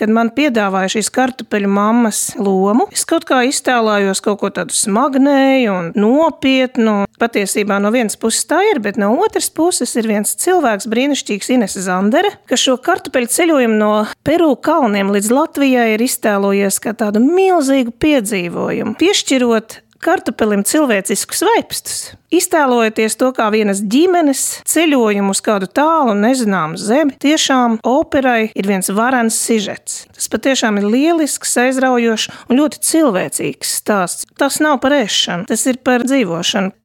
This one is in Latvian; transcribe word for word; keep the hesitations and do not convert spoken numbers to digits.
kad man piedāvāja šīs kartupeļu mammas lomu, es kaut kā iztēlājos kaut ko tādu smagnēju un nopietnu. Patiesībā no vienas puses tā ir, bet no otras puses ir viens cilvēks, brīnišķīgs Inese Zandere, kas šo kartupeļu ceļojumu no Peru kalniem līdz Latvijai ir iztēlojies kā tādu milzīgu piedzīvojumu, piešķirot kartupelim cilvēciskus vaipstus, iztēlojoties to kā vienas ģimenes ceļojumu uz kādu tālu un nezināmu zemi. Tiešām operai ir viens varens sižets. Tas patiešām ir lielisks, aizraujošs un ļoti cilvēcīgs stāsts. Tas nav par ēšanu, tas ir par dzīvošanu.